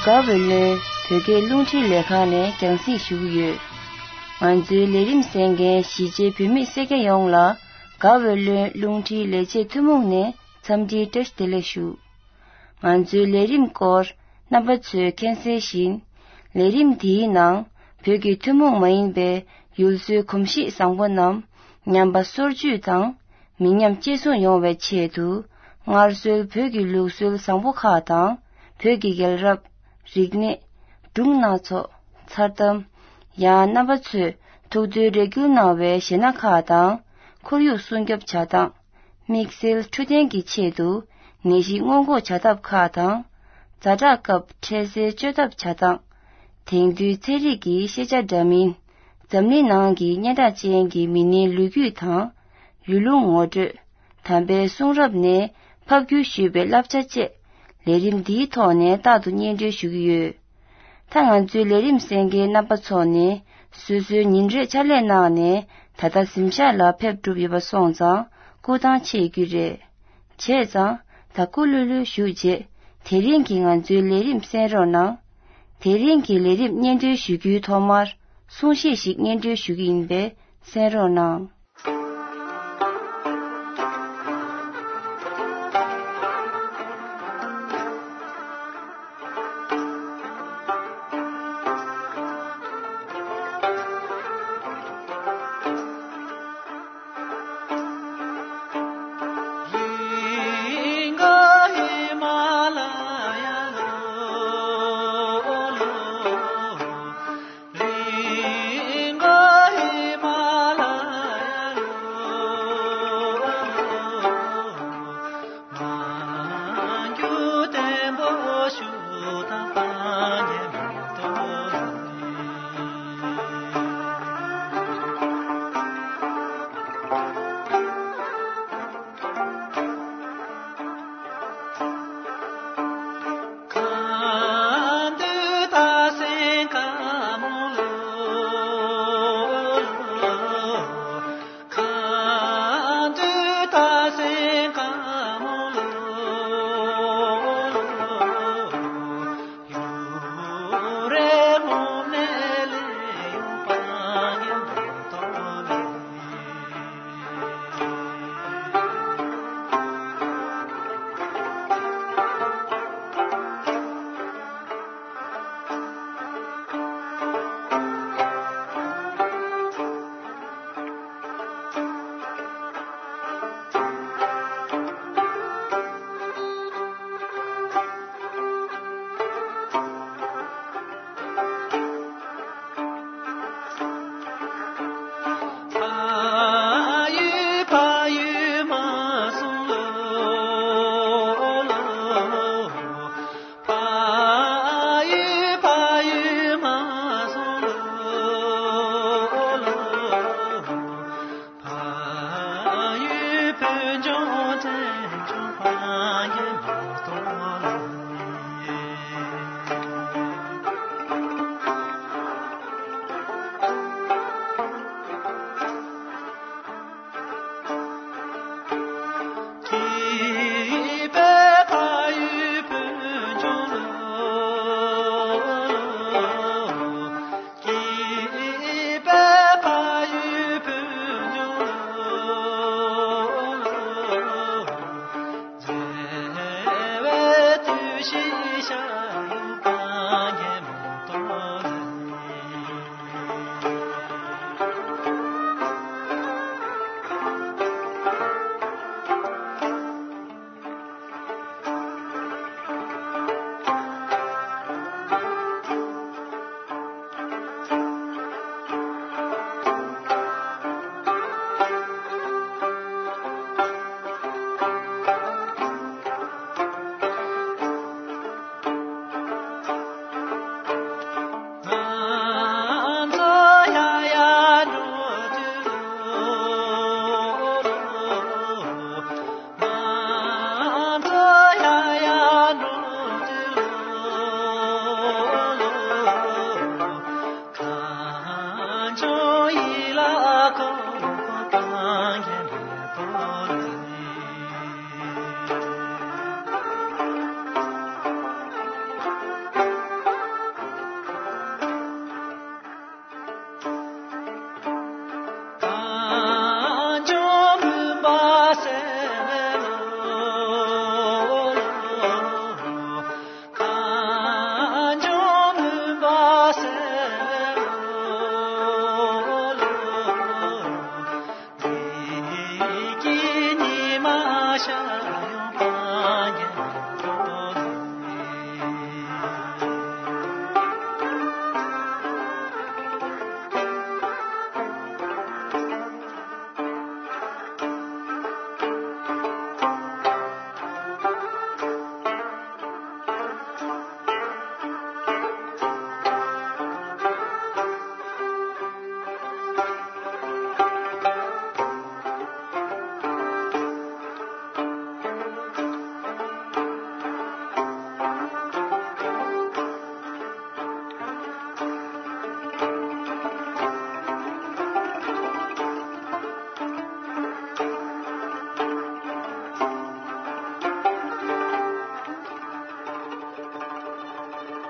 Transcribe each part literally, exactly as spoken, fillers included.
དགའ་བའི་ལོན་བོད་སྐད་རླུང་འཕྲིན་ལས་ཁང་ནས་རྒྱང་སྲིང་ཞུ་གི་ཡོད། ང་ཚོའི་ལས་རིམ་གསན་མཁན་གཞིས་བྱེས་བོད་མི་སེར་སྐྱ་ཡོངས་ལ་དགའ་བའི་ལོན་རླུང་འཕྲིན་ལས་བྱེད་ཐུན་མོང་ནས་འཚམས་འདྲིའི་བཀྲ་ཤིས་བདེ་ལེགས་ཞུ། ང་ཚོའི་ལས་རིམ་སྐོར་རྣམ་པ་ཚོས་མཁྱེན་གསལ་བཞིན། ལས་རིམ་འདིའི་ནང་བོད་ཀྱི་ཐུན་མོང་མ་ཡིན་པའི་ཡུལ་སྲོལ་གོམས་གཤིས་བཟང་པོ་རྣམས་ཉམས་པ་སོར་ཆུད་དང་མི་ཉམས་གཅེས་སྲུང་ཡོང་བའི་ཆེད་དུ། སྔར་སྲོལ་བོད་ཀྱི་ལུགས་སྲོལ་བཟང་པོ་ཁག་དང་། བོད་ཀྱི་རྒྱལ་རབས། རིག་གནས། སྒྲུང་སྣ་ཚོགས། མཚར་གཏམ། ཡང་རྣམ་པ་ཚོས་ཐུགས་འདུན་རེ་སྐུལ་གནང་བའི་གཞས་སྣ་ཁག་དང་། ཁོར་ཡུག་སྲུང་སྐྱོབ་བྱ་སྟངས། དམིགས་བསལ་འཕྲོད་བསྟེན་གྱི་ཆེད་དུ་ནད་གཞི་སྔོན་འགོག་བྱ་ཐབས་ཁག་དང་། ཛ་དྲག་སྐབས་འཕྲལ་སེལ་བཅོས་ཐབས་བྱ་སྟངས། དེང་དུས་ཚན་རིག་གི་ཤེས་བྱ་འདྲ་མིན། འཛམ་གླིང་ནང་གི་སྙན་གྲགས་ཅན་གྱི་མི་སྣའི་ལོ་རྒྱུས་དང་། ཡུལ་ལུང་ངོ་སྤྲོད། དམ་པའི་གསུང་རབ་ནས་ཕབ་བསྒྱུར་ཞུས་པའི་བསླབ་བྱ་བཅས། ལས་རིམ་འདིའི་ཐོག་ནས་རྟག་ཏུ་སྙན་སྒྲོན་ཞུ་གི་ཡོད། ད་ང་ཚོའི་ལས་རིམ་གསན་མཁན་རྣམ་པ་ཚོ་ནས་སོ་སོའི་ཉིན་རེའི་ཕྱག་ལས་གནང་ནས་ད་ལྟ་གཟིམ་ཤག་ལ་ཕེབས་གྲུབ་ཡོད་པ་སོང་ཙང་སྐུ་ཐང་ཆད་རྒྱུ་རེད། བྱས་ཙང་ད་སྐུ་ལྷོད་ལྷོད་བཞུགས་རྗེས་དེ་རིང་གི་ང་ཚོའི་ལས་རིམ་གསན་རོགས་གནང་། དེ་རིང་གི་ལས་རིམ་སྙན་སྒྲོན་ཞུ་རྒྱུའི་ཐོག་མར་གསུང་བཤད་ཞིག་སྙན་སྒྲོན་ཞུ་གི་ཡིན་པས་གསན་རོགས་གནང་།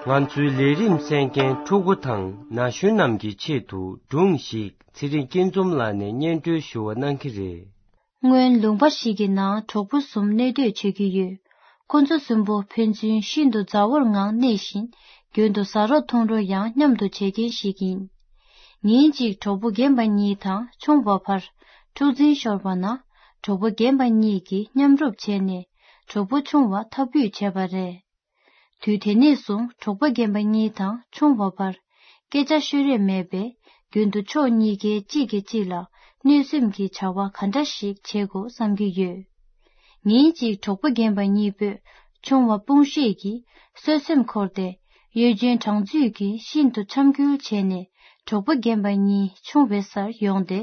ང་ཚོའི་ལས་རིམ་གསན་མཁན་ཕྲུ་གུ་དང་ན་གཞོན་རྣམས་ཀྱི་ཆེད་དུ་སྒྲུང་ཞིག་ཚེ་རིང་སྐྱིད་འཛོམས་ལགས་ནས་སྙན་སྒྲོན་ཞུ་བ་གནང་གི་རེད། སྔོན་ལུང་པ་ཞིག་གི་ནང་གྲོགས་པོ་གསུམ་གནས་སྡོད་བྱེད་ཀྱི་ཡོད། ཁོ་ཚོ་གསུམ་པོ་ཕན་ཚུན་ཤིན་ཏུ་མཛའ་བོར་ངང་གནས་ཤིང་། རྒྱུན་དུ་ཟ་རོགས་འཐུང་རོགས་ཡང་མཉམ་དུ་བྱེད་མཁན་ཞིག་ཡིན། ཉིན་གཅིག་གྲོགས་པོ་རྒན་པ་གཉིས་དང་ཆུང་བ་བར་འཁྲུག་འཛིང་ཤོར་བ་ན། གྲོགས་པོ་རྒན་པ་གཉིས་ཀྱིས་མཉམ་རུབ་བྱས་ནས་གྲོགས་པོ་ཆུང་བ་ཐབས་འབུད་བྱས་པ་རེད། དུས་དེ་ནས་བཟུང་གྲོགས་པོ་རྒན་པ་གཉིས་དང་ཆུང་བ་བར་སྐད་ཆ་ཤོད་རེས་མེད་པས། རྒྱུན་དུ་ཕྱོགས་གཉིས་ཀའི་གཅིག་གིས་གཅིག་ལ་གནོད་སེམས་ཀྱི་བྱ་བ་ག་འདྲ་ཞིག་བྱེད་དགོས་བསམ་གྱི་ཡོད། ཉིན་གཅིག་གྲོགས་པོ་རྒན་པ་གཉིས་པོས་ཆུང་བ་དཔུང་ཤེད་ཀྱིས་གསོད་སེམས་འཁོར་ཏེ། གཡོ་ཅན་གྲང་ཚུལ་གྱིས་ཤིན་ཏུ་འཆམ་འགུལ་བྱས་ནས་གྲོགས་པོ་རྒན་པ་གཉིས་མཆོང་བའི་སར་ཡོང་སྟེ།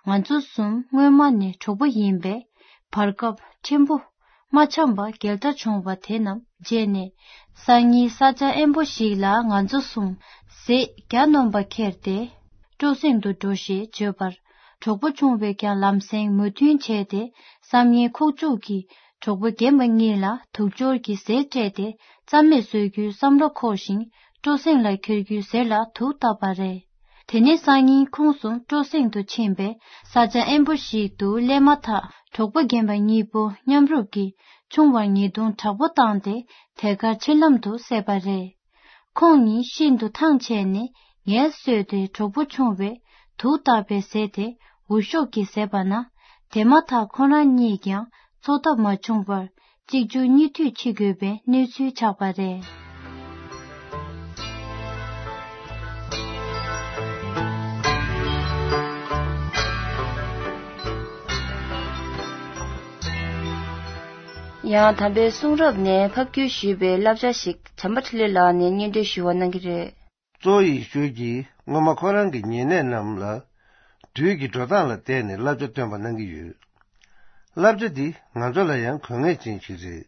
ང་ཚོ་གསུམ་སྔོན་མ་ནས་གྲོགས་པོ་ཡིན་པས། བར་སྐབས་ཕྲན་བུ་མ་འཆམ་པ་རྒྱལ་དར་བྱུང་བ་དེ་རྣམས་བརྗེད་ནས། སང་ཉིན་ས་ཆ་དབེན་པོ་ཞིག་ལ་ང་ཚོ་གསུམ་ཟས་གྱ་ནོམ་པ་ཁྱེར་ཏེ་སྤྲོ་གསེང་དུ་འགྲོ་ཞེས་བརྗོད་པར། གྲོགས་པོ་ཆུང་བས་ཀྱང་ལམ་སེང་མོས་མཐུན་བྱས་ཏེ། བསམ་ཡས་ཁོག་བཅུག་གིས་གྲོགས་པོ་རྒན་པ་གཉིས་ལ་དུག་སྦྱོར་གྱི་ཟས་སྤྲད་དེ། རྩ་མེད་བཟོ་རྒྱུའི་བསམ་བློ་འཁོར་ཞིང་། སྤྲོ་གསེང་ལ་འཁྱེར་རྒྱུའི་ཟས་ལ་དུག་བཏབ་པ་རེད། དེ་ནས་སང་ཉིན་ཁོང་གསུམ་སྤྲོ་གསེང་དུ་ཕྱིན་པས། ས་ཆ་དབེན་པོ་ཞིག་ཏུ་སླེབས་མ་ཐག་གྲོགས་པོ་རྒན་པ་གཉིས་པོ་མཉམ་རུབ་ཀྱིས་ཆུང་བར་ཉེས་རྡུང་དྲག་པོ་བཏང་སྟེ། ཐད་ཀར་འཆི་ལམ་དུ་བསད་པ་རེད། ཁོང་གཉིས་ཤིན་ཏུ་ཐང་ཆད་ནས་ངལ་གསོས་ཏེ། གྲོགས་པོ་ཆུང་བས་དུག་བཏབ་པའི་ཟས་དེ་འུར་ཤོབ་ཀྱིས་བཟས་པ་ན། དེ་མ་ཐག་ཁོ་རང་གཉིས་ཀྱང་འཚོ་ཐབས་མ་བྱུང་བར། གཅིག་མཇུག་གཉིས་མཐུད་འཆི་དགོས་པའི་གནས་ཚུལ་ཆགས་པ་རེད། ཡང་དམ་པའི་གསུང་རབ་ནས་ཕབ་བསྒྱུར་ཞུས་པའི་བསླབ་བྱ་ཞིག་བྱམས་པ་འཕྲིན་ལས་ལགས་ནས་སྙན་སྒྲོན་ཞུ་བ་གནང་གི་རེད། གཙོ་བོ་ཡེ་ཤུ་གིས་སྔོན་མ་ཁོ་རང་གི་ཉེ་གནས་རྣམས་ལ་དུས་ཀྱི་འགྲོ་སྟངས་ལ་བལྟས་ནས་བསླབ་བྱ་སྟོན་པ་གནང་གི་ཡོད། བསླབ་བྱ་འདི་ང་ཚོ་ལ་ཡང་དགོས་ངེས་ཅན་ཞིག་རེད།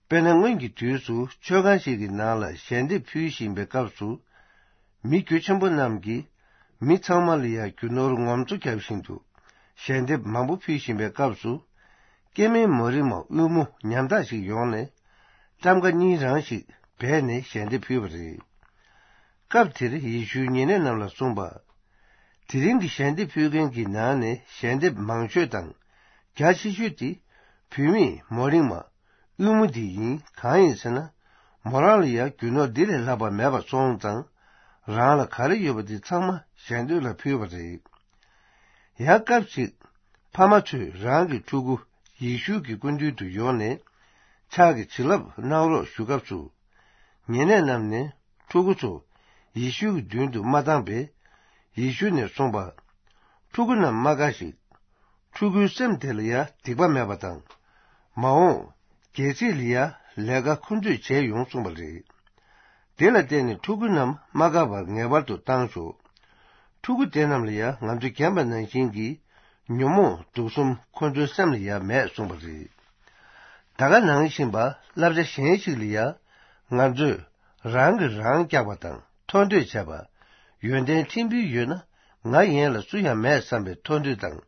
དཔེར་ན། སྔོན་གྱི་དུས་སུ་མཆོད་ཁང་ཞིག་གི་ནང་ལ་ཞལ་འདེབས་ཕུལ་བཞིན་པའི་སྐབས་སུ། མི་རྒྱུ་ཆེན་པོ་རྣམས་ཀྱིས་མི་ཚང་མ་ལ་ཡང་རྒྱུ་ནོར་ངོམ་སོ་བརྒྱབ་བཞིན་དུ་ཞལ་འདེབས་མང་པོ་ཕུལ་བཞིན་པའི་སྐབས་སུ། སྐྱེ་དམན་མོ་རིགས་མ་དབུལ་མོ་ཉམ་ཐག་ཞིག་ཡོང་ནས། ཊམ་ཀ་གཉིས་རང་ཞིག་སྦས་ནས་ཞལ་འདེབས་ཕུལ་བ་རེད། སྐབས་དེར་ཡེ་ཤུའི་ཉེ་གནས་རྣམས་ལ་གསུངས་པ། དེ་རིང་གི་ཞལ་འདེབས་ཕུལ་མཁན་གྱི་ནང་ནས་ཞལ་འདེབས་མང་ཤོས་དང་རྒྱ་ཆེ་ཤོས་དེ་བུད་མེད་མོ་རིགས་མ་དབུལ་མོ་འདི་ཡིན། གང་ཡིན་ཟེར་ན། མོ་རང་ལ་ཡང་རྒྱུ་ནོར་འདི་ལས་ལྷག་པ་མེད་པ་སོང་ཙང་། རང་ལ་ག་རེ་ཡོད་པ་དེ་ཚང་མ་གཞན་དོན་ལ་ཕུལ་བ་རེད། ཡང་སྐབས་ཤིག་ཕ་མ་ཚོས་རང་གི་ཕྲུ་གུ་ཡེ་ཤུ་གི་སྐུ་མདུན་དུ་ཡོང་ནས་ཕྱག་གི་བྱིན་རླབས་གནང་རོགས་ཞུ་སྐབས་སུ། ཉེ་གནས་རྣམས་ནས་ཕྲུ་གུ་ཚོ་ཡེ་ཤུ་གི་མདུན་དུ་མ་བཏང་པས། ཡེ་ཤུ་ནས་གསུངས་པ། ཕྲུ་གུ་རྣམས་མ་དགའ་ཞིག་ཕྲུ་གུའི་སེམས་དེ་ལ་ཡང་སྡིག་པ་མེད་པ་དང་། མ་འོངས་རྒྱལ་སྲིད་ལ་ཡང་ལས་ཀ་ཁོ་ཚོས་བྱས་ཡོང་གསུངས་པ་རེད། དེ་ལ་བརྟེན་ནས་ཕྲུ་གུ་རྣམས་མ་དགའ་བར་ངེས་པར་དུ་བཏང་ཆོག་ཕྲུ་གུ་དེ་རྣམས་ལ་ཡང་ང་ཚོ་རྒན་པ་ནང་བཞིན་གྱི་ཉོན་མོངས་དུག་གསུམ་ཁོ་ཚོའི་སེམས་ལ་ཡང་མེད་གསུངས་པ་རེད། ད་ག་ནང་བཞིན་པ་བསླབ་བྱ་གཞན་ཞིག་ལ་ཡང་ང་ཚོས་རང་གིས་རང་བཀྱག་པ་དང་མཐོ་འདོད་བྱས་པ། ཡོན་ཏན་ཕྲན་བུ་ཡོད་ན་ང་ཡན་ལ་སུ་ཡང་མེད་བསམ་པའི་མཐོ་འདོད་དང་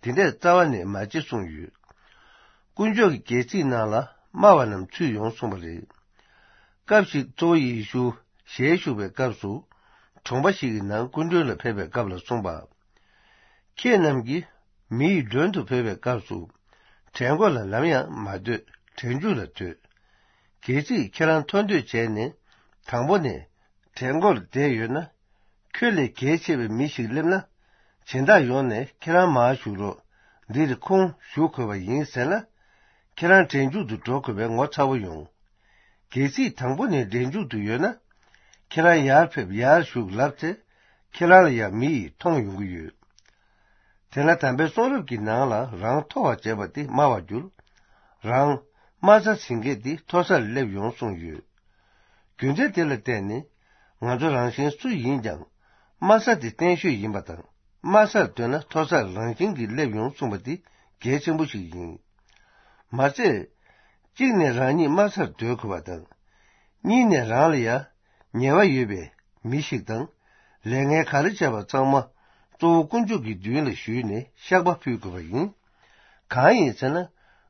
དེ་འདྲས་རྩ་བ་ནས་མ་བྱེད་གསུངས་ཡོད། དཀོན་མཆོག་གི་རྒྱལ་སྲིད་ནང་ལ་དམའ་བ་རྣམས་ཚུད་ཡོང་གསུངས་པ་རེད། སྐབས་ཤིག་གཙོ་བོ་ཡེ་ཤུ་ཞལ་བཞུགས་པའི་སྐབས་སུ་གྲོང་པ་ཞིག་གི་ནང་སྐུ་མགྲོན་ལ་ཕེབས་པའི་སྐབས་ལ་གསུངས་པ། ཁྱེད་རྣམས་ཀྱིས་མི་ཡི་མགྲོན་དུ་ཕེབས་པའི་སྐབས་སུ། གྲལ་མགོ་ལ་ནམ་ཡང་མ་སྡོད། གྲལ་མཇུག་ལ་སྡོད། གལ་སྲིད་ཁྱེད་རང་མཐོ་འདོད་བྱས་ནས་དང་པོ་ནས་གྲལ་མགོར་བསྡད་ཡོད་ན། ཁྱོད་ལས་གལ་ཆེ་བའི་མི་ཞིག་སླེབས་ན། སྦྱིན་བདག་ཡོང་ནས་ཁྱེད་རང་མར་བཞུགས་རོགས། འདིར་ཁོང་བཞུགས་དགོས་པ་ཡིན་ཟེར་ན། ཁྱེད་རང་གྲལ་མཇུག་ཏུ་འགྲོ་དགོས་པའི་ངོ་ཚ་བོ་ཡོང་། གལ་སྲིད་དང་པོ་ནས་གྲལ་མཇུག་ཏུ་ཡོད་ན། ཁྱེད་རང་ཡར་ཕེབས་ཡར་བཞུགས་ལབ་ཚེ། ཁྱེད་རང་ལ་ཡང་མི་ཡིས་མཐོང་ཡོང་གི་ཡོད། དེས་ན་དམ་པའི་གསུང་རབ་ཀྱི་ནང་ལ་རང་མཐོ་བར་བྱེད་པ་དེ་དམའ་བར་འགྱུར། རང་དམའ་ས་ཟིན་མཁན་དེ་མཐོ་སར་སླེབས་ཡོང་གསུངས་ཡོད། རྒྱུ་མཚན་དེ་ལ་བརྟེན་ནས་ང་ཚོ་རང་གཞན་སུ་ཡིན་ཀྱང་དམའ་ས་དེ་བརྟན་ཤོས་ཡིན་པ་དང་། དམའ་སར་སྡོད་ན་མཐོ་སར་རང་བཞིན་གྱིས་སླེབས་ཡོང་གསུངས་པ་དེ་གལ་ཆེན་པོ་ཞིག་ཡིན། མ་ཚད། གཅིག་ནས་རང་ཉིད་དམའ་སར་སྡོད་དགོས་པ་དང་། གཉིས་ནས་རང་ལ་ཡང་ཉེས་པ་ཡོད་པའི་མི་ཞིག་དང་། ལས་ངན་ག་རེ་བྱས་པ་ཚང་མ་གཙོ་བོ་དཀོན་མཆོག་གི་མདུན་ལ་ཞུས་ནས་བཤགས་པ་ཕུལ་དགོས་པ་ཡིན། གང་ཡིན་ཟེར་ན།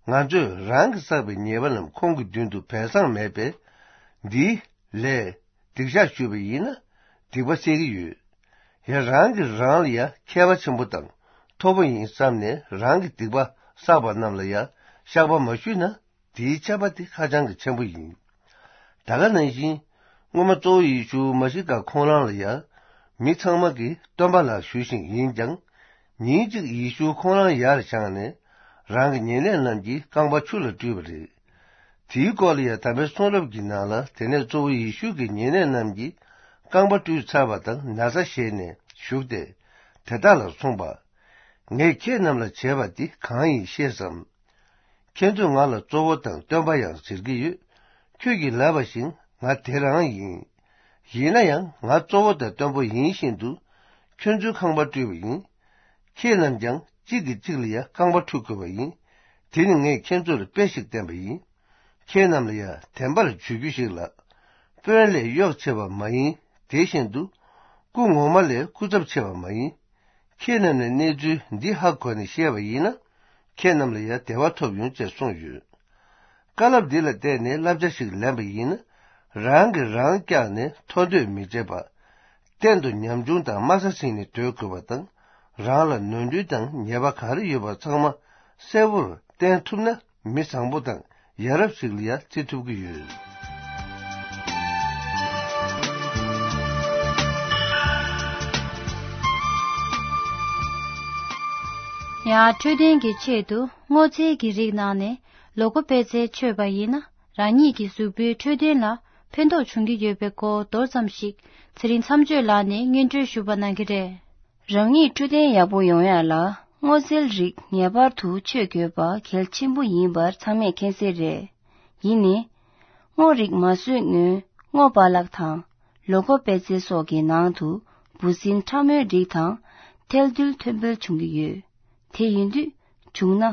ང་ཚོས་རང་གིས་བསགས་པའི་ཉེས་པ་རྣམས་ཁོང་གི་མདུན་དུ་སྦས་གསང་མེད་པས། འདིའི་ལས་ སྡིག་བཤགས་ཞུས་པ་ཡིན་ན་སྡིག་པ་སེལ་གྱི་ཡོད། ཡང་རང་གིས་རང་ལ་ཡང་མཁས་པ་ཆེན་པོ་དང་མཐོ་པོ་ཡིན་བསམ་ནས་རང་གི་སྡིག་པ་བསགས་པ་རྣམས་ལ་ཡང་བཤགས་པ་མ་ཞུས་ན། དེའི་ཆད་པ་དེ་ཧ་ཅང་གི་ཆེན་པོ་ཡིན། ད་ག་ནང་བཞིན། སྔོན་མ་གཙོ་བོ་ཡེ་ཤུ་མ་ཤི་ཀ་ཁོང་རང་ལ་ཡང་མི་ཚང་མ་གིས་སྟོན་པ་ལགས་ཞུ་བཞིན་ཡིན་ཀྱང་། ཉིན་གཅིག་ཡེ་ཤུ་ཁོང་རང་ཡར་བཞེངས་ནས་རང་གི་ཉེ་གནས་རྣམས་ཀྱི་རྐང་པ་ཆུ་ལ་བཀྲུས་པ་རེད། དེའི་སྐོར་ལ་ཡང་དམ་པའི་གསུང་རབ་ཀྱི་ནང་ལ། དེ་ནས་གཙོ་བོ་ཡེ་ཤུ་གིས་ཉེ་གནས་རྣམས་ཀྱི་རྐང་པ་བཀྲུས་ཚར་བ་དང་ན་བཟའ་བཞེས་ནས་བཞུགས་ཏེ། དེ་དག་ལ་གསུངས་པ། ངས་ཁྱེད་རྣམས་ལ་བྱས་པ་འདི་གང་ཡིན་ཤེས་སམ། ཁྱེད་ཚོས་ང་ལ་གཙོ་བོ་དང་སྟོན་པ་ཡང་ཟེར་གྱི་ཡོད། ཁྱོད་ཀྱིས་ལབ་པ་བཞིན་ང་དེ་རང་ཡིན། ཡིན་ན་ཡང་ང་གཙོ་བོ་དང་སྟོན་པ་ཡིན་བཞིན་དུ་ཁྱོད་ཚོའི་ཁང་པ་བཀྲུས་པ་ཡིན། ཁྱེད་རྣམས་ཀྱང་གཅིག་གིས་གཅིག་ལ་ཡང་རྐང་པ་འཁྲུ་དགོས་པ་ཡིན། དེ་ནི་ངས་ཁྱེད་ཚོ་ལ་དཔེ་ཞིག་བསྟན་པ་ཡིན། ཁྱེད་རྣམས་ལ་ཡང་བདེན་པར་བརྗོད་རྒྱུ་ཞིག་ལ། དཔོན་ལས་གཡོག་ཆེ་བ་མ་ཡིན། དེ་བཞིན་དུ་སྐུ་ངོ་མ་ལས་སྐུ་ཚབ་ཆེ་བ་མ་ཡིན། ཁྱེད་རྣམས་ནས་གནས་ཚུལ་འདི་ཧ་གོ་ནས་ཤེས་པ་ཡིན་ན། ཁྱེད་རྣམས་ལ་ཡང་བདེ་བ་ཐོབ་ཡོང་ཅེས་གསུངས་ཡོད། བཀའ་སློབ་འདི་ལ་བརྟེན་ནས་བསླབ་བྱ་ཞིག་ལེན་པ་ཡིན་ན། རང་གིས་རང་བཀྱགས་ནས་མཐོ་འདོད་མི་བྱེད་པ། གཏན་དུ་ཉམ་ཆུང་དང་དམའ་ས་ཟིན་ནས་སྡོད་དགོས་པ་དང་། རང་ལ་ནོར་འཁྲུལ་དང་ཉེས་པ་ག་རེ་ཡོད་པ་ཚང་མ་གསལ་བོར་བསྟན་ཐུབ་ན། མི་བཟང་པོ་དང་ཡ་རབས་ཤིག་ལ་ཡང་བརྩི་ཐུབ་ཀྱི་ཡོད། ཡང་འཕྲོད་བསྟེན་གྱི་ཆེད་དུ་སྔོ་ཚལ་གྱི་རིགས་ནང་ནས་ལོ་ཀོ་པེ་ཙེ་མཆོད་པ་ཡིན་ན། རང་ཉིད་ཀྱི་གཟུགས་པོའི་འཕྲོད་བསྟེན་ལ་ཕན་ཐོགས་འབྱུང་གི་ཡོད་པའི་སྐོར་མདོར་ཙམ་ཞིག་ཚེ་རིང་མཚམས་གཅོད་ལགས་ནས་སྙན་སྒྲོན་ཞུ་བ་གནང་གི་རེད། རང་ཉིད་འཕྲོད་བསྟེན་ཡག་པོ་ཡོང་ཡ་ལ་སྔོ་ཚལ་རིགས་ངེས་པར་དུ་མཆོད་དགོས་པ་གལ་ཆེན་པོ་ཡིན་པར་ཚང་མས་མཁྱེན་གསལ་རེད། ཡིན་ནའི། སྔོ་རིགས་མ་བཟོས་སྔོན་སྔོ་པཱ་ལགས་དང་ལོ་ཀོ་པེ་ཙེ་སོགས་ཀྱི་ནང་དུ་འབུ་སྲིན་ཕྲ་མོའི་རིགས་དང་ཐལ་རྡུལ་ཐོན་འབེལ་བྱུང་གི་ཡོད། དེ་ཡིན་དུས་བྱུང་ན་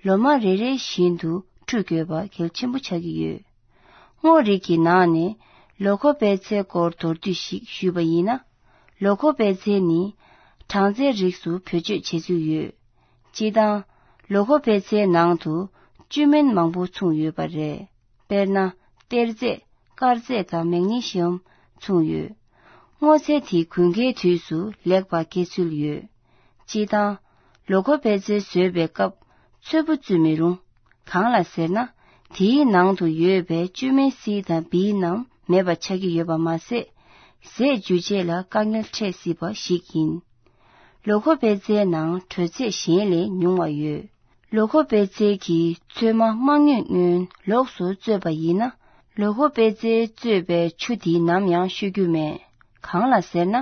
ལོ་མ་རེ་རེ་བཞིན་དུ་འཁྲུ་དགོས་པ་གལ་ཆེན་པོ་ཆགས་ཀྱི་ཡོད། སྔོ་རིགས་ཀྱི་ནང་ནས་ལོ་ཀོ་པེ་ཙེ་སྐོར་མདོར་བསྡུས་ཤིག་ཞུས་པ་ཡིན་ན། ལོ་ཀོ་པེ་ཙེ་ནི་སྦྲང་རྩིའི་རིགས་སུ་བེད་སྤྱོད་བྱེད་ཚུལ་ཡོད། སྤྱིར་བཏང་། ལོ་ཀོ་པེ་ཙེའི་ནང་དུ་བཅུད་སྨན་མང་པོ་ཚུད་ཡོད་པ་རེད། དཔེར་ན། གཏེར་རྫས། དཀར་རྫས་དང་མེག་ནེ་ཤིའམ་ཚུད་ཡོད། སྔོ་ཚལ་དེ་དགུན་ཁའི་དུས་སུ་ལེགས་པར་སྐྱེ་ཚུལ་ཡོད། སྤྱིར་བཏང་། ལོ་ཀོ་པེ་ཙེ་བཟོས་པའི་སྐབས་ཚོས་པོ་བཙུད་མི་རུང་། གང་ལ་ཟེར་ན། དེའི་ནང་དུ་ཡོད་པའི་བཅུད་སྨན་སི་དང་བི་རྣམས་མེད་པ་ཆགས་ཀྱི་ཡོད་པ་མ་ཟད། ཟས་འཇུ་བྱེད་ལ་དཀའ་ངལ་འཕྲད་སྲིད་པ་ཞིག་ཡིན། ལོ་ཀོ་པེ་ཙེའི་ནང་དྲོད་ཚད་གཞན་ལས་ཉུང་བ་ཡོད། ལོ་ཀོ་པེ་ཙེ་གི་ཚོད་མ་མ་རྙོད་སྔོན་ལོགས་སུ་བཙོས་པ་ཡིན་ན། ལོ་ཀོ་པེ་ཙེ་བཙོས་པའི་ཆུ་དེའི་ནམ་ཡང་བཤོ་རྒྱུ་མེད། གང་ལ་ཟེར་ན།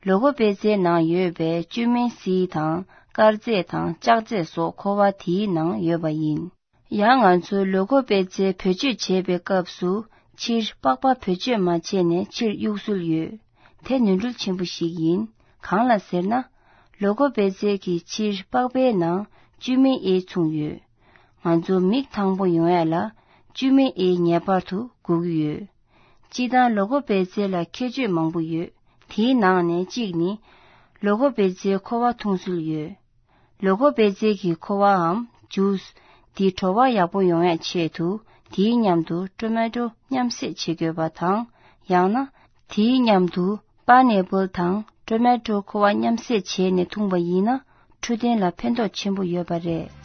ལོ་ཀོ་པེ་ཙེའི་ནང་ཡོད་པའི་བཅུད་སྨན་སི་དང་དཀར་རྫས་དང་ལྕགས་རྫས་སོགས་ཁོ་བ་དེའི་ནང་ཡོད་པ་ཡིན། ཡང་ང་ཚོས་ལོ་ཀོ་པེ་ཙེ་བེད་སྤྱོད་བྱེད་པའི་སྐབས་སུ་ཕྱིར་པགས་པ་བེད་སྤྱོད་མ་བྱས་ནས་ཕྱིར་གཡུག་སྲོལ་ཡོད། དེ་ནོར་འཁྲུལ་ཆེན་པོ་ཞིག་ཡིན། གང་ལ་ཟེར་ན། ལོ་ཀོ་པེ་ཙེ་གི་ཕྱིར་པགས་པའི་ནང་བཅུད་སྨན་ཨེ་ཚུད་ཡོད། ང་ཚོ་མིག་ཐང་པོ་ཡོང་ཡ་ལ་བཅུད་སྨན་ཨེ་ངེས་པར་དུ་དགོས་ཀྱི་ཡོད། སྤྱིར་བཏང་ལོ་ཀོ་པེ་ཙེ་ལ་ཁྱད་ཆོས་མང་པོ་ཡོད། དེའི་ནང་ནས་གཅིག་ནི། ལོ་ཀོ་པེ་ཙེའི་ཁོ་བ་འཐུང་སྲོལ་ཡོད། ལོ་ཀོ་པེ་ཙེ་གི་ཁོ་བའམ་ཇུས་འདི་བྲོ་བ་ཡག་པོ་ཡོང་ཡ་ཆེད་དུ་དེའི་མཉམ་དུ་ཊོ་མེ་ཊོ་མཉམ་བསྲེས་བྱེད་དགོས་པ་དང་། ཡང་ན་དེའི་མཉམ་དུ་པ་ནེ་པལ་དང་ཊོ་མེ་ཊོ་ཁོ་བ་མཉམ་བསྲེས་བྱས་ནས་འཐུང་པ་ཡིན་ན་འཕྲོད་བསྟེན་ལ་ཕན་ཐོགས་ཆེན་པོ་ཡོད་པ་རེད།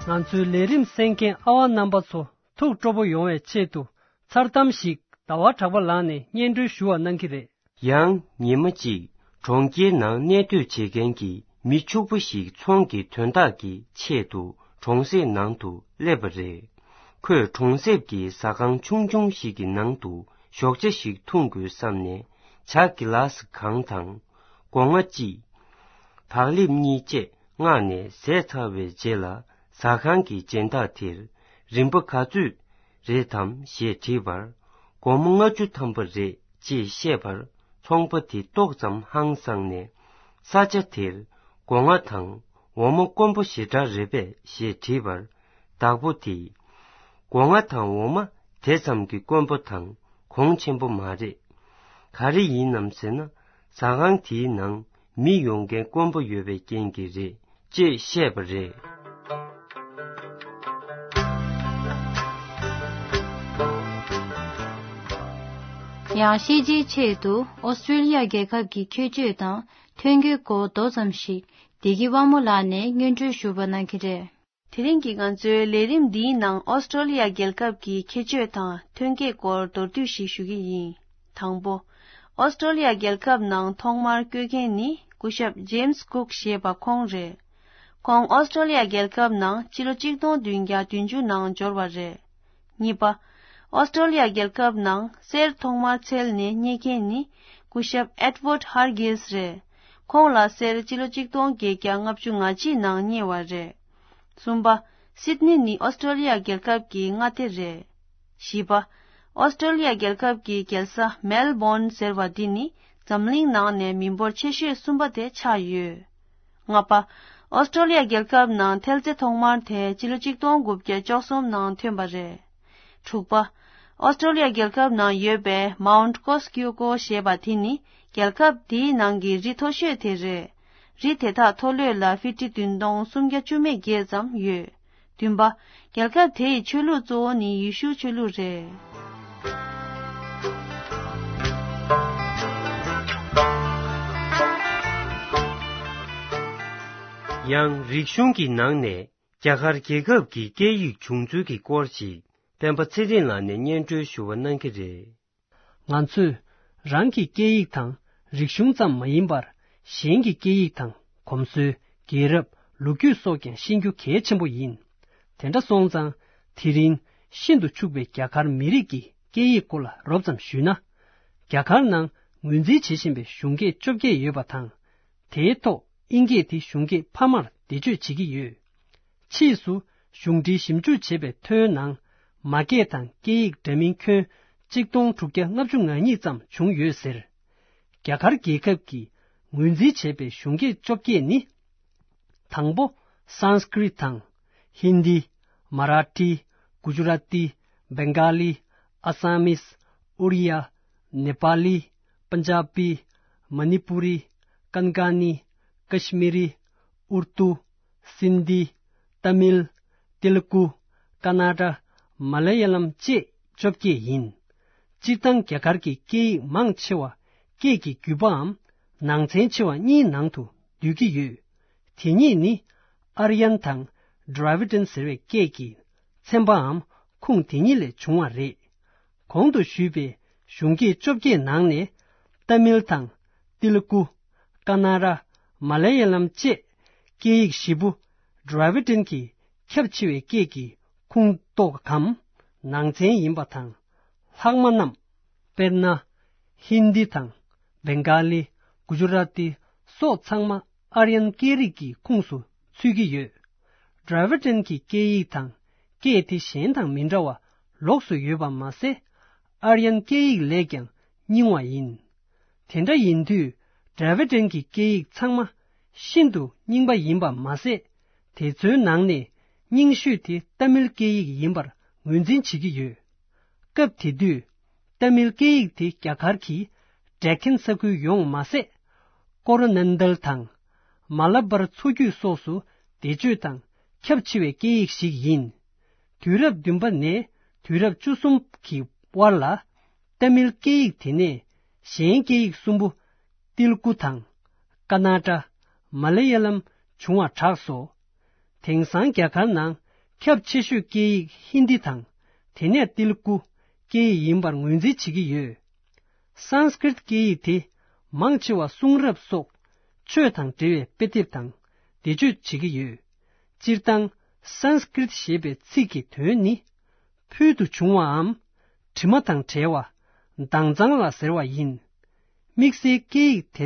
ང་ཚོའི་ལས་རིམ་གསན་མཁན་ཨ་བ་རྣམ་པ་ཚོ་ཐུགས་སྤྲོ་པོ་ཡོང་བའི་ཆེད་དུ་མཚར་གཏམ་ཞིག་ཟླ་བ་གྲགས་པ་ལགས་ནས་སྙན་སྒྲོན་ཞུ་བ་གནང་གི་རེད། ཡང་ཉི་མ་གཅིག་གྲོང་ཁྱེར་ནང་གནས་སྡོད་བྱེད་མཁན་གྱི་མི་ཕྱུག་པོ་ཞིག་ཚོང་གི་དོན་དག་གི་ཆེད་དུ་གྲོང་གསེབ་ནང་དུ་སླེབས་པ་རེད། ཁོས་གྲོང་གསེབ་ཀྱི་ཟ་ཁང་ཆུང་ཆུང་ཞིག་གི་ནང་དུ་ཞོགས་ཇ་ཞིག་འཐུང་དགོས་བསམ་ནས་ཇ་གི་ལཱ་སི་གང་དང་། སྒོ་ང་གཅིག་བག་ལེབ་གཉིས་བཅས་མངགས་ནས་ཟས་ཚར་བའི་རྗེས་ལ་ཟ་ཁང་གི་སྦྱིན་བདག་དེར་རིན་པ་ག་ཚོད་རེད་དམ་ཞེས་དྲིས་པར། སྒོར་མོ་ལྔ་བཅུ་ཐམ་པ་རེད་ཅེས་བཤད་པར། ཚོང་པ་དེ་ཏོག་ཙམ་ཧང་སངས་ནས། ས་ཆ་དེར་སྒོ་ང་དང་འོ་མ་དཀོན་པོ་ཞེ་དྲག་རེད་པས་ཞེས་དྲིས་པར། བདག་པོ་དེས། སྒོ་ང་དང་འོ་མ་དེ་ཙམ་གྱི་དཀོན་པོ་དང་གོང་ཆེན་པོ་མ་རེད། ག་རེ་ཡིན་ནམ་ཟེར་ན། ཟ་ཁང་དེའི་ནང་ མི་ཡོང་མཁན་དཀོན་པོ་ཡོད་པའི་རྐྱེན་གྱིས་རེད། ཅེས་བཤད་པ་རེད། ཡང་ཤེས་བྱའི་ཆེད་དུ་ཨོ་སི་ཀྲོ་ལི་ཡ་རྒྱལ་ཁབ་ཀྱི་ཁྱད་ཆོས་དང་ཐོན་སྐྱེད་སྐོར་མདོ་ཙམ་ཞིག་བདེ་སྐྱིད་དབང་མོ་ལགས་ནས་སྙན་སྒྲོན་ཞུ་བ་གནང་གི་རེད། དེ་རིང་གི་ང་ཚོའི་ལས་རིམ་འདིའི་ནང་ཨོ་སི་ཀྲོ་ལི་ཡ་རྒྱལ་ཁབ་ཀྱི་ཁྱད་ཆོས་དང་ཐོན་སྐྱེད་སྐོར་མདོར་བསྡུས་ཤིག་ཞུ་གི་ཡིན། དང་པོ། ཨོ་སི་ཀྲོ་ལི་ཡ་རྒྱལ་ཁབ་ནང་ཐོག་མར་བསྐྱོད་མཁན་ནི་སྐུ་ཞབས་ཇེམ་སི་ཀུག་ཞེས་པ་ཁོང་རེད། ཁོང་ཨོ་སི་ཀྲོ་ལི་ཡ་རྒྱལ་ཁབ་ནང་ཕྱི་ལོ་གཅིག་སྟོང་བདུན་བརྒྱ་བདུན་ཅུ་ནང་འབྱོར་བ་རེད། གཉིས་པ། ཨོ་སི་ཀྲོ་ལི་ཡ་རྒྱལ་ཁབ་ནང་གསེར་ཐོག་མར་འཚོལ་ནས་རྙེད་མཁན་ནི་སྐུ་ཞབས་ཨེད་ཝརཌ་ཧར་གྷིལ་སི་རེད། ཁོང་ལ་གསེར་ཕྱི་ལོ་གཅིག་སྟོང་བརྒྱད་བརྒྱ་ལྔ་བཅུ་ང་གཅིག་ནང་རྙེད་པ་རེད། གསུམ་པ། སིད་ནི་ནི་ཨོ་སི་ཀྲོ་ལི་ཡ་རྒྱལ་ཁབ་ཀྱི་མངའ་སྡེ་རེད། བཞི་པ། ཨོ་སི་ཀྲོ་ལི་ཡ་རྒྱལ་ཁབ་ཀྱི་རྒྱལ་ས་མེལ་བོན་ཟེར་བ་འདི་ནི་འཛམ་གླིང་ནང་ནས་མི་འབོར་ཆེ་ཤོས་གསུམ་པ་དེ་ཆགས་ཡོད། ལྔ་པ། ཨོ་སི་ཀྲོ་ལི་ཡ་རྒྱལ་ཁབ་ནང་ཐེལ་ཙེ་ཐོག་མར་དེ་ཕྱི་ལོ་གཅིག་སྟོང་དགུ་བརྒྱ་བཅུ་གསུམ་ནང་ཐོན་པ་རེད། དྲུག་པ། ཨོ་སི་ཀྲོ་ལི་ཡ་རྒྱལ་ཁབ་ནང་ཡོད་པའི་མའུནཊ་ཀོ་སི་ཀིའུ་ཀོ་ཞེས་པ་དེ་ནི་རྒྱལ་ཁབ་དེའི་ནང་གི་རི་མཐོ་ཤོས་དེ་རེད། རི་དེ་དག་མཐོ་ལོས་ལ་ཧྥི་ཊི་བདུན་སྟོང་སུམ་བརྒྱ་བཅུ་མེད་བརྒྱད་ཙམ་ཡོད། བདུན་པ། རྒྱལ་ཁབ་དེའི་ཆོས་ལུགས་གཙོ་བོ་ནི་ཡེ་ཤུའི་ཆོས་ལུགས་རེད། ཡང་རིག་གཞུང་གི་ནང་ནས་རྒྱ་གར་རྒྱལ་ཁབ་ཀྱི་སྐད་ཡིག་བྱུང་ཚུལ་གྱི་སྐོར་ཞིག་སྤེན་པ་ཚེ་རིང་ལགས་ནས་སྙན་སྒྲོན་ཞུ་བ་གནང་གི་རེད། ང་ཚོས་རང་གི་སྐད་ཡིག་དང་རིག་གཞུང་ཙམ་མ་ཡིན་པར། གཞན་གྱི་སྐད་ཡིག་དང་གོམས་སྲོལ། རྒྱལ་རབས། ལོ་རྒྱུས་སོགས་ཀྱང་ཤེས་རྒྱུ་གལ་ཆེན་པོ་ཡིན། དེ་འདྲ་སོང་ཙང་། དེ་རིང་ཤིན་ཏུ་ཕྱུག་པའི་རྒྱ་གར་མི་རིགས་ཀྱི་སྐད་ཡིག་སྐོར་ལ་རོབ་ཙམ་ཞུས་ན། རྒྱ་གར་ནང་ངོས་འཛིན་བྱེད་བཞིན་པའི་གཞུང་སྐད་བཅོ་བརྒྱད་ཡོད་པ་དང་། དེའི་ཐོག་དབྱིན་སྐད་དེ་གཞུང་སྐད་ཕ་མར་བེད་སྤྱོད་བྱེད་ཀྱི་ཡོད། ཕྱིས་སུ་གཞུང་འབྲེལ་ཞིབ་འཇུག་བྱས་པའི་ཐོའི་ནང་། མ་སྐད་དང་སྐད་ཡིག་འདྲ་མིན་ཁྱོན་གཅིག་སྟོང་དྲུག་བརྒྱ་ལྔ་བཅུ་ང་གཉིས་ཙམ་བྱུང་ཡོད་ཟེར། རྒྱ་གར་རྒྱལ་ཁབ་ཀྱིས་ངོས་འཛིན་བྱས་པའི་གཞུང་སྐད་བཅོ་བརྒྱད་ནི། དང་པོ། སཾ་སྐྲྀཏ་དང་། ཧིན་དི། མ་ར་ཊི། གུ་ཇུ་ར་ཏི། བེང་ག་ལི། ཨ་སམ་མིས། ཨོ་རི་ཡ། ནེ་པ་ལི། པན་ཇ་བི། མ་ནི་པུ་རི། ཀན་ཀ་ནི། ཀཤ་མི་རི། ཨུར་དུ། སིན་དྷི། ཏ་མིལ། ཏེ་ལུ་གུ། ཀ་ན་ཊ། མ་ལ་ཡ་ལམ་བཅས་བཅོ་བརྒྱད་ཡིན། སྤྱིར་བཏང་རྒྱ་གར་གྱི་སྐད་ཡིག་མང་ཆེ་བ་སྐད་ཀྱི་རྒྱུད་པའམ་ནང་ཚན་ཆེ་བ་གཉིས་ནང་དུ་འདུས་ཀྱི་ཡོད། དེ་གཉིས་ནི་ཨར་ཡན་དང་ཌ་ར་བི་ཌན་ཟེར་བའི་སྐད་ཀྱི་ཚན་པའམ་ཁུངས་དེ་གཉིས་ལས་བྱུང་བ་རེད། གོང་དུ་ཞུས་པའི་གཞུང་སྐད་བཅོ་བརྒྱད་ནང་ནས་ཏ་མིལ་དང་ཏི་ལུ་གུ། ཀ་ན་ཊ། མ་ལ་ཡ་ལམ་བཅས་སྐད་ཡིག་བཞི་པོ་ཌ་ར་བི་ཌན་གྱི་ཁྱབ་ཆེ་བའི་སྐད་ཀྱི་ཁུངས་གཏོགས་གམ་ནང་ཚན་ཡིན་པ་དང་། ལྷག་མ་རྣམས། དཔེར་ན། ཧིན་དི་དང་། བེང་ག་ལི། གུ་ཇུ་ར་ཏི་སོགས་ཚང་མ་ཨར་ཡན་སྐད་རིགས་ཀྱི་ཁུངས་སུ་ཚུད་ཀྱི་ཡོད། ཌ་ར་བི་ཌན་གྱི་སྐད་ཡིག་དང་སྐད་དེ་གཞན་དང་མི་འདྲ་བ་ལོགས་སུ་ཡོད་པ་མ་ཟད། ཨར་ཡན་སྐད་ཡིག་ལས་ཀྱང་རྙིང་བ་ཡིན། དེ་འདྲ་ཡིན་དུས་ཌ་ར་བི་ཌན་གྱི་སྐད་ཡིག་ཚང་མ་ཤིན་ཏུ་རྙིང་པ་ཡིན་པ་མ་ཟད། དེ་ཚོའི་ནང་ནས་རྙིང་ཤོས་དེ་ཏ་མིལ་སྐད་ཡིག་ཡིན་པར་ངོས་འཛིན་བྱེད་ཀྱི་ཡོད། སྐབས་དེ་དུས་ཏ་མིལ་སྐད་ཡིག་དེ་རྒྱ་གར་གྱི་ཌེ་ཁན་ས་ཁུལ་ཡོངས་མ་ཟད། ཀོ་རོ་ནན་དལ་དང་མ་ལ་བར་མཚོ་རྒྱུད་སོགས་སུ་བེད་སྤྱོད་དང་ཁྱབ་ཆེ་བའི་སྐད་ཡིག་ཞིག་ཡིན། དུས་རབས་བདུན་པ་ནས་དུས་རབས་བཅུ་གསུམ་གྱི་དབར་ལ། ཏ་མིལ་སྐད་ཡིག་དེ་ནས་གཞན་སྐད་ཡིག་གསུམ་པོ། ཏིལ་ཀུ་དང་། ཀ་ན་ཊ། མ་ལ་ཡ་ལམ་བྱུང་བ་གྲགས་སོ། དེང་སང་རྒྱ་གར་ནང་ཁྱབ་ཆེ་ཤོས་སྐད་ཡིག་ཧིན་དི་དང་། དེ་ནས་ཏིལ་ཀུ་སྐད་ཡིག་ཡིན་པར་ངོས་འཛིན་བྱེད་ཀྱི་ཡོད། སཾ་སྐྲྀཏ་སྐད་ཡིག་དེ་མང་ཆེ་བ་གསུང་རབ་སོགས་ཆོས་དང་འབྲེལ་བའི་དཔེ་དེབ་དང་བེད་སྤྱོད་བྱེད་ཀྱི་ཡོད། སྤྱིར་བཏང་སཾ་སྐྲྀཏ་ཞེས་པའི་ཚིག་གི་དོན་ནི། ཕུལ་དུ་བྱུང་བའམ། དྲི་མ་དང་བྲལ་བ། དྭངས་གཙང་ལ་ཟེར་བ་ཡིན། དམིགས་བསལ་སྐད་ཡིག་དེ།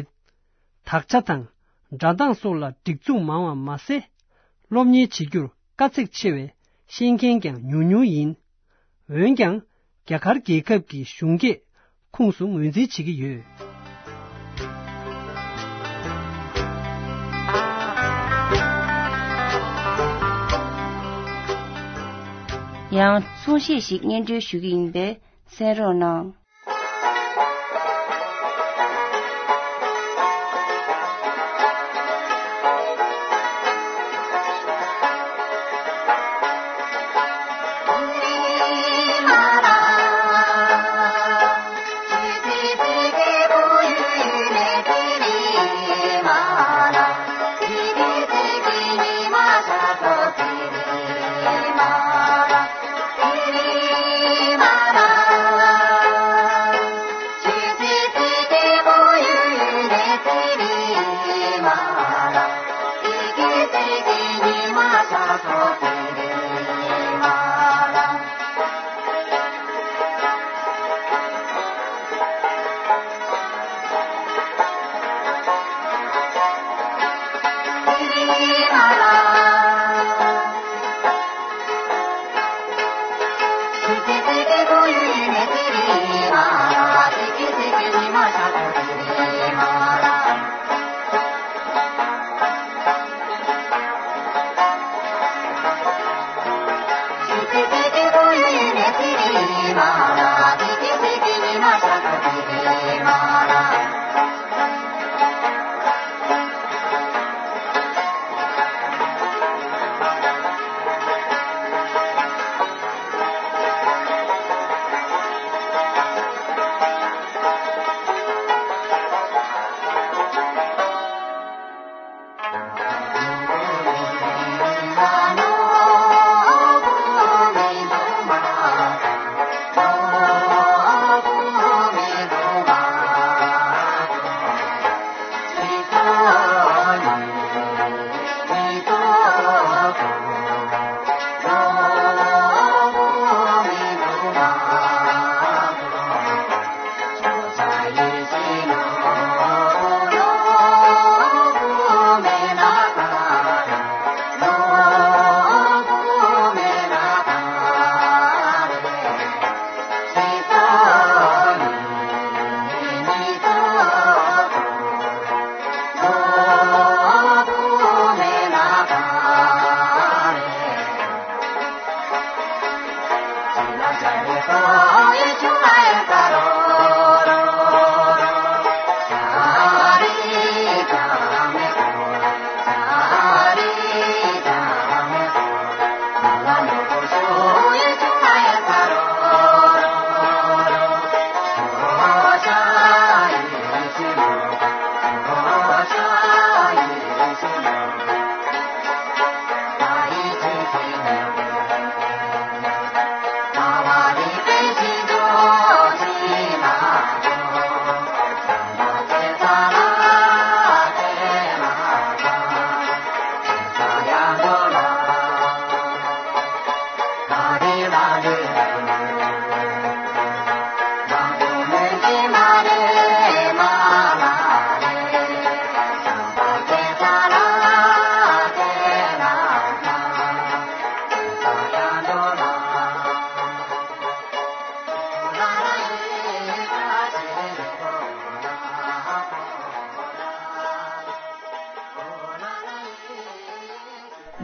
དག་ཆ་དང་སྒྲ་གདངས་སོགས་ལ་སྒྲིག་འཛུགས་མང་བ་མ་ཟད། སློབ་གཉེར་བྱེད་རྒྱུར་དཀའ་ཚེགས་ཆེ་བས་ཤེས་མཁན་ཀྱང་ཉུང་ཉུང་ཡིན། འོན་ཀྱང་རྒྱ་གར་རྒྱལ་ཁབ་ཀྱི་གཞུང་སྐད་ཁུངས་སུ་ངོས་འཛིན་བྱེད་ཀྱི་ཡོད། ཡང་གསུང་བཤད་ཞིག་སྙན་སྒྲོན་ཞུ་གི་ཡིན་པས་གསན་རོགས་གནང་།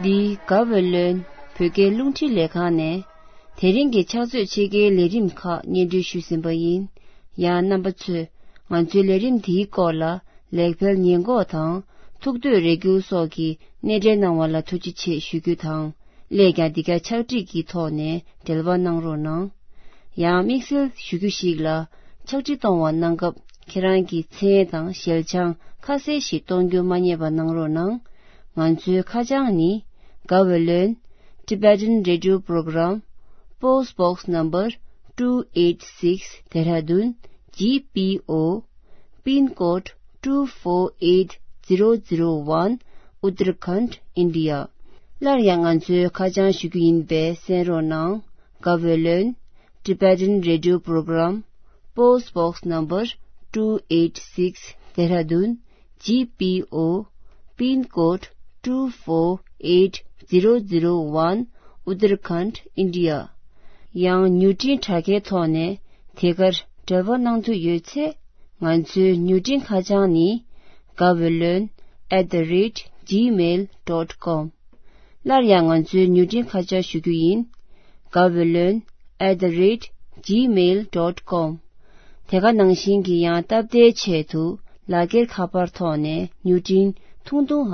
འདི་ག་བོད་ལོན་བོད་སྐད་རླུང་འཕྲིན་ལས་ཁང་ནས་དེ་རིང་གི་ཕྱག་ཚོད་ཕྱེད་ཀའི་ལས་རིམ་ཁག་སྙན་སྒྲོན་ཞུས་ཟིན་པ་ཡིན། ཡང་རྣམ་པ་ཚོས་ང་ཚོའི་ལས་རིམ་འདིའི་སྐོར་ལ་ལེགས་སྤེལ་ཉེས་འགོག་དང་ཐུགས་འདོད་རེ་སྐུལ་སོགས་ཀྱི་སྣེ་འདྲེན་གནང་བ་ལ་ཐུགས་རྗེ་ཆེ་ཞུ་རྒྱུ་དང་། སླད་ཀྱང་འདི་ག་ཕྱག་བྲིས་ཀྱི་ཐོག་ནས་འབྲེལ་བ་གནང་རོགས་གནང་། ཡང་དམིགས་བསལ་ཞུ་རྒྱུ་ཞིག་ལ། ཕྱག་བྲིས་གཏོང་བ་གནང་སྐབས་ཁྱེད་རང་གི་མཚན་དང་ཞལ་བྱང་ཁ་གསལ་ཞིག་གཏོང་རྒྱུ་མ་བསྙེལ་བ་གནང་རོགས་གནང་། ང་ཚོའི་ཁ་བྱང་ནི། Gaweylon Tibetan Radio Program, Post Box Number two eight six, Dehradun G P O, Pin Code two four eight zero zero one, Uttarakhand, India. སླར་ཡང་ང་ཚོའི་ཁ་བྱང་ཞུ་རྒྱུ་ཡིན་པས་གསན་རོགས་གནང་། Gaweylon Tibetan Radio Program, Post Box Number two eight six, Dehradun G P O, Pin Code two four eight zero zero one, Uttarakhand, India. ཡང་མྱུར་འཕྲིན་དྲ་རྒྱའི་ཐོག་ནས་དེ་གར་འབྲེལ་བ་གནང་འདོད་ཡོད་ཚེ། ང་ཚོའི་མྱུར་འཕྲིན་ཁ་བྱང་ནི། Gaweylon at the rate gmail dot com. སླར་ཡང་ང་ཚོའི་མྱུར་འཕྲིན་ཁ་བྱང་ཞུ་རྒྱུ་ཡིན། Gaweylon at the rate gmail dot com. དེ་ག་ནང་བཞིན་གྱི་ཡང་སྟབས་བདེའི་ཆེད་དུ་ལག་འཁྱེར་ཁ་པར་ཐོག་ནས་མྱུར་འཕྲིན་ཐུང་ཐུང་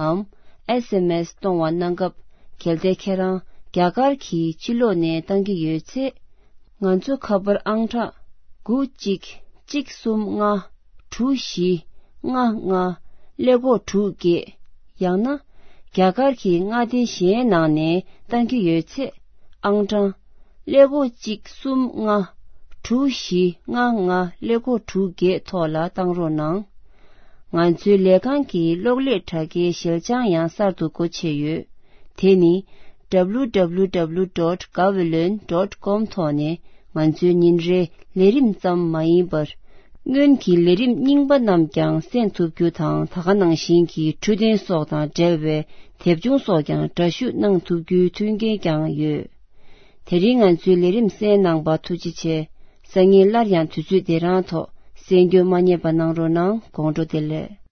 འམ་S M S གཏོང་བ་གནང་སྐབས། གལ་ཏེ་ཁྱེད་རང་རྒྱ་གར་གྱི་ཕྱི་ལོགས་ནས་བཏང་གི་ཡོད་ཚེ། ང་ཚོ་ཁ་པར་ཨང་གྲངས་དགུ་གཅིག་གཅིག་གསུམ་ལྔ་དྲུག་བཞི་ལྔ་ལྔ་ཀླད་ཀོར་དྲུག་བརྒྱད། ཡང་ན་རྒྱ་གར་གྱི་མངའ་སྡེ་གཞན་ནང་ནས་བཏང་གི་ཡོད་ཚེ། ཨང་གྲངས་ཀླད་ཀོར་གཅིག་གསུམ་ལྔ་དྲུག་བཞི་ལྔ་ལྔ་ཀླད་ཀོར་དྲུག་བརྒྱད་ཐོག་ལ་བཏང་རོགས་གནང་། ང་ཚོའི་ལས་ཁང་གི་གློག་ཀླད་དྲ་རྒྱའི་ཞལ་བྱང་ཡང་གསར་དུ་སྒོ་ཕྱེ་ཡོད། དེ་ནི་W W W dot gaweylon dot com ཐོག་ནས་ང་ཚོའི་ཉིན་རེའི་ལས་རིམ་ཙམ་མ་ཡིན་པར། སྔོན་གྱི་ལས་རིམ་རྙིང་པ་རྣམས་ཀྱང་གསན་ཐུབ་རྒྱུ་དང་། ད་ག་ནང་བཞིན་གྱི་འཕྲོད་བསྟེན་སོགས་དང་འབྲེལ་བའི་དེབ་ཆུང་སོགས་ཀྱང་འདྲ་བཤུས་གནང་ཐུབ་རྒྱུའི་མཐུན་རྐྱེན་ཀྱང་ཡོད། དེ་རིང་ང་ཚོའི་ལས་རིམ་གསན་གནང་བར་ཐུགས་རྗེ་ཆེ། སང་ཉིན་སླར་ཡང་དུས་ཚོད་འདི་རང་ཐོག་གསན་རྒྱུ་མ་བསྙེལ་བ་གནང་རོགས་གནང་། དགོང་དྲོ་བདེ་ལེགས།